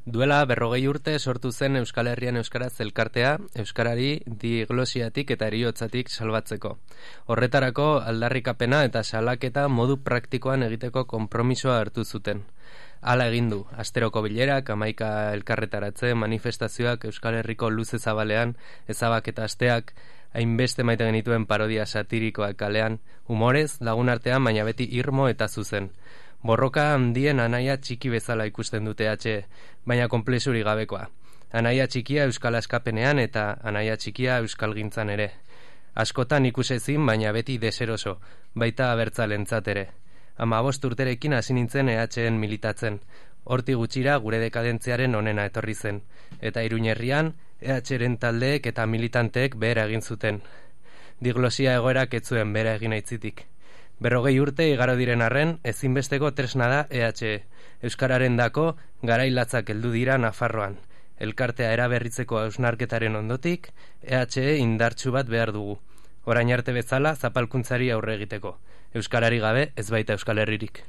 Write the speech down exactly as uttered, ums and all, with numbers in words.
Duela berrogei urte sortu zen Euskal Herrian Euskaraz elkartea, Euskarari diglosiatik eta eriotzatik salbatzeko. Horretarako aldarrikapena eta salaketa modu praktikoan egiteko konpromisoa hartu zuten. Hala egin du, asteroko bilerak, hamaika elkarretaratze, manifestazioak Euskal Herriko luze zabalean, ezabaketa asteak, hainbeste maite genituen parodia satirikoak kalean, humorez, lagun artean, baina beti irmo eta zuzen. Borroka handien anaia txiki bezala ikusten dute atxe, baina konplexuri gabekoa. Anaia txikia euskal askapenean eta anaia txikia euskal gintzan ere. Askotan ikusezin, baina beti deseroso, baita abertzalentzat ere. Hamabost urterekin hasi nintzen E H en militatzen. Horti gutxira gure dekadentziaren onena etorri zen. Eta Iruñerrian E H ren taldeek eta militanteek behera egin zuten. Diglosia egoerak ez zuen behera egin aitzitik. Berrogei urte igaro diren arren, ezinbesteko tresna da E H E. Euskararen dako, garailatzak heldu dira Nafarroan. Elkartea eraberritzeko hausnarketaren ondotik, E H E indartsu bat behar dugu. Orain arte bezala zapalkuntzari aurre egiteko. Euskarari gabe ez baita Euskal Herririk.